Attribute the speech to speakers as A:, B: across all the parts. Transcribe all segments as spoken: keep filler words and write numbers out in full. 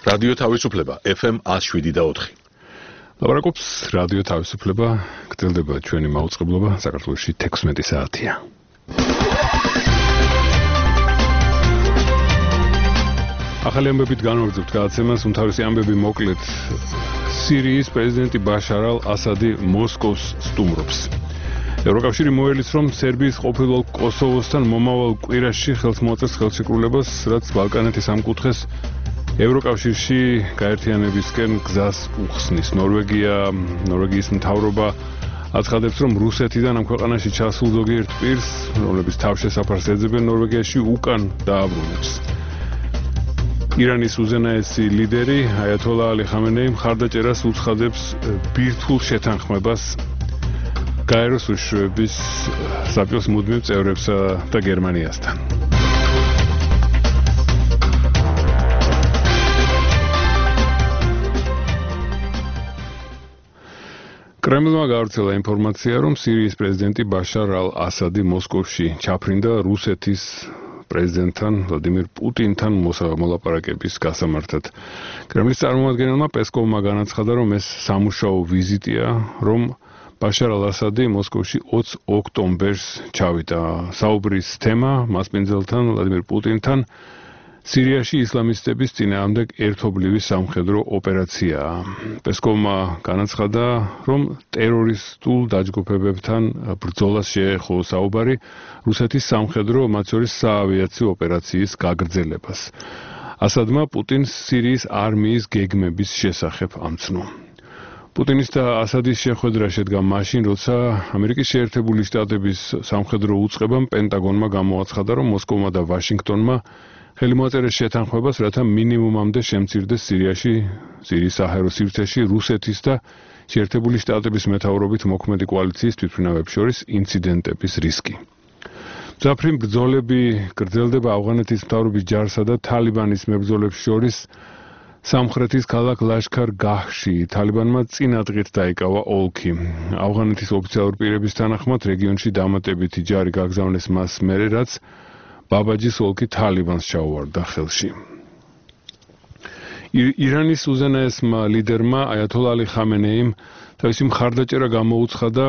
A: რადიო თავისუფლება ეფ ემ one oh seven და four.
B: ლაპარაკობს რადიო თავისუფლება, გრძელდება ჩვენი მაუწყებლობა, საქართველოში თექვსმეტი საათია. ახალი ამბებით განვაგრძობთ გადაცემას, უმთავრესი ამბები მოკლედ. სირიის პრეზიდენტი ბაშარ ალ-ასადი მოსკოვს სტუმრობს. ევროკავშირი მოელის, რომ სერბიის ყოფილ კოსოვოსთან მომავალ კვირაში ხელს მოაწერს ხელშეკრულებას, რაც ბალკანეთის ამ კუთხეს ევროკავშირში გაერთიანებისკენ გზას უხსნის. ნორვეგია, ნორვეგიის მთავრობა აცხადებს, რომ რუსეთიდან ამ ქვეყანაში ჩასულ ზოგიერთ პირს, რომლებიც თავშესაფარს ეძებენ ნორვეგიაში, უკან დააბრუნებს. ირანის უზენაესი ლიდერი აიათოლა ალი ხამენეი მხარდაჭერას უცხადებს ბირთვულ შეთანხმებას გაეროს უშუალების საბჭოს მუდმივ წევრებსა და გერმანიასთან. კრემლმა გავრცელა ინფორმაცია, რომ სირიის პრეზიდენტი ბაშარ ალ-ასადი მოსკოვში ჩაფრინდა რუსეთის პრეზიდენტთან ვლადიმირ პუტინთან მოლაპარაკების გასამართად. კრემლის წარმომადგენელმა პესკოვმა განაცხადა, რომ ეს სამუშაო ვიზიტია, რომ ბაშარ ალ-ასადი მოსკოვში ოცი ოქტომბერს ჩავიდა. საუბრის თემა მასპინძელთან ვლადიმირ პუტინთან სირიაში ისლამისტების წინააღმდეგ ერთობლივი სამხედრო ოპერაციაა. პესკოვმა განაცხადა, რომ ტერორისტულ დაჯგუფებებთან ბრძოლას შეეხო საუბარი რუსეთის სამხედრო, მათ შორის საავიაციო ოპერაციის გაგრძელებას. ასადმა პუტინს სირიის არმიის გეგმების შესახებ ამცნო. პუტინის და ასადის შეხვედრა შედგა მაშინ, როცა ამერიკის შეერთებული შტატების სამხედრო უწყებამ პენტაგონმა გამოაცხადა, რომ მოსკოვმა და ვაშინგტონმა ხელი მოაწერეს შეთანხმებას, რათა მინიმუმამდე შემცირდეს სირიაში, სირიის საჰაერო სივრცეში რუსეთის და შეერთებული შტატების მეთაურობით მოქმედი კოალიციის თვითმფრინავებს შორის ინციდენტების რისკი. მძაფრი ბრძოლები გრძელდება ავღანეთის მთავრობის ჯარსა და თალიბანის მებრძოლებს შორის სამხრეთის ქალაქ ლაშქარ-გაჰში. თალიბანმა წინა დღით დაიკავა ოლქი. ავღანეთის ოფიციალურ პირების თანახმად რეგიონში დამატებითი ჯარი გაგზავნეს მას მერე, რაც ბაბაჯის ოლქი თალიბანს ჩაუვარდა ხელში. ირანის უზენაესმა ლიდერმა აიათოლა ალი ხამენეიმ თავისი მხარდაჭერა გამოუცხადა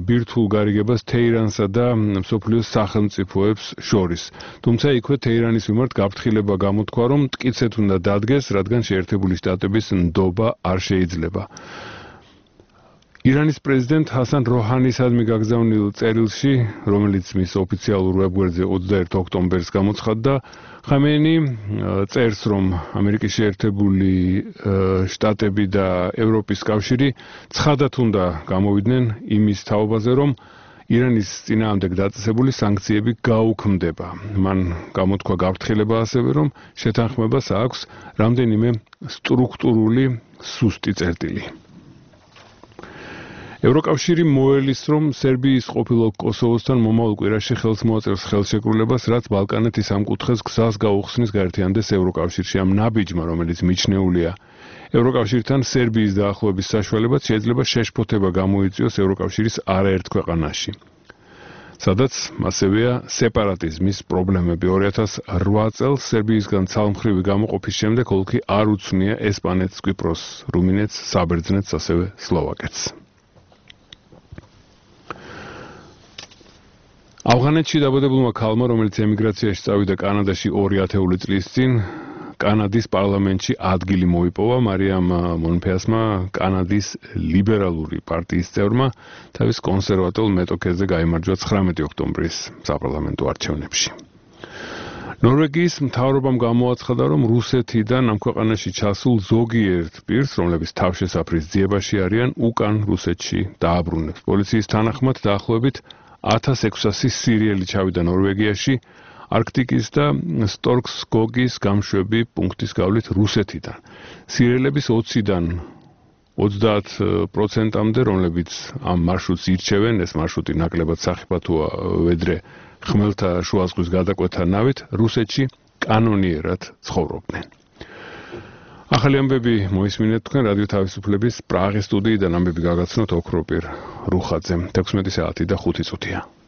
B: ბირთვულ გარიგებას თეირანსა და მსოფლიოს სახელმწიფოებს შორის. თუმცა იქვე თეირანის მიმართ გაფრთხილება გამოთქვა, რომ მტკიცედ უნდა დადგეს, რადგან შეერთებული შტატების ნდობა არ შეიძლება. ირანის პრეზიდენტ ჰასან როჰანისადმი გაგზავნილ წერილში, რომელიც მის ოფიციალურ ვებგვერდზე ოცდაერთი ოქტომბერს გამოცხადდა, ხამენეი წერს, რომ ამერიკის შეერთებული შტატები და ევროპის კავშირი ცხადად უნდა გამოვიდნენ იმის თაობაზე, რომ ირანის წინააღმდეგ დაწესებული სანქციები გაუქმდება. მან გამოთქვა გაფრთხილება ასევე, რომ შეთანხმებას აქვს რამდენიმე სტრუქტურული სუსტი წერტილი. ევროკავშირი მოელის, რომ სერბიის ყოფილ კოსოვოსთან მომავალ კვირაში ხელს მოაწერს ხელშეკრულებას, რაც ბალკანეთის ამ კუთხეს გზას გაუხსნის გაერთიანდეს ევროკავშირში. ამ ნაბიჯმა, რომელიც მიჩნეულია ევროკავშირთან სერბიის დაახლოების საშუალებად, შეიძლება შეშფოთება გამოიწვიოს ევროკავშირის არაერთ ქვეყანაში, სადაც მასევეა სეპარატიზმის პრობლემები. ორი ათას რვა წელს სერბიისგან ცალმხრივი გამოყოფის შემდეგ ოლქი არ უცნია ესპანეთს, კვიპროსს, რუმინეთს, საბერძნეთს, ასევე სლოვაკეთს. ავღანეთში დაბადებულმა ქალმა, რომელიც ემიგრაციაში წავიდა კანადაში ორი ათეული წლის წინ, კანადის პარლამენტში ადგილი მოიპოვა. მარიამ მონფეასმა, კანადის ლიბერალური პარტიის წევრმა, თავის კონსერვატულ მეტოქეზე გაიმარჯვა ცხრამეტი ოქტომბრის საპარლამენტო არჩევნებში. ნორვეგიის მთავრობამ გამოაცხადა, რომ რუსეთიდან ამ ქვეყანაში ჩასულ ზოგიერთ პირს, რომლებიც თავშესაფრის ძიებაში არიან, უკან რუსეთში დააბრუნებს. პოლიციის თანახმად დაახლოებით ათას ექვსასი სირიელი ჩავიდა ნორვეგიაში არქტიკის და სტორკსგოგის გამშვები პუნქტის გავლით რუსეთიდან. სირიელების ოციდან ოცდაათ პროცენტამდე, რომლებიც ამ მარშრუტს ირჩევენ, ეს მარშრუტი ნაკლებად სახიფათოა ვედრე ხმელთა შუა ზღვის გადაკვეთა ნავით, რუსეთში კანონიერად ცხოვრობდნენ. ახალი ამბები მოისმინეთ თქვენ რადიო თავისუფლების პრაღის სტუდიიდან. ამბები გაგაცნოთ ოქროპირ რუხაძემ. თექვსმეტი საათი და ხუთი წუთია.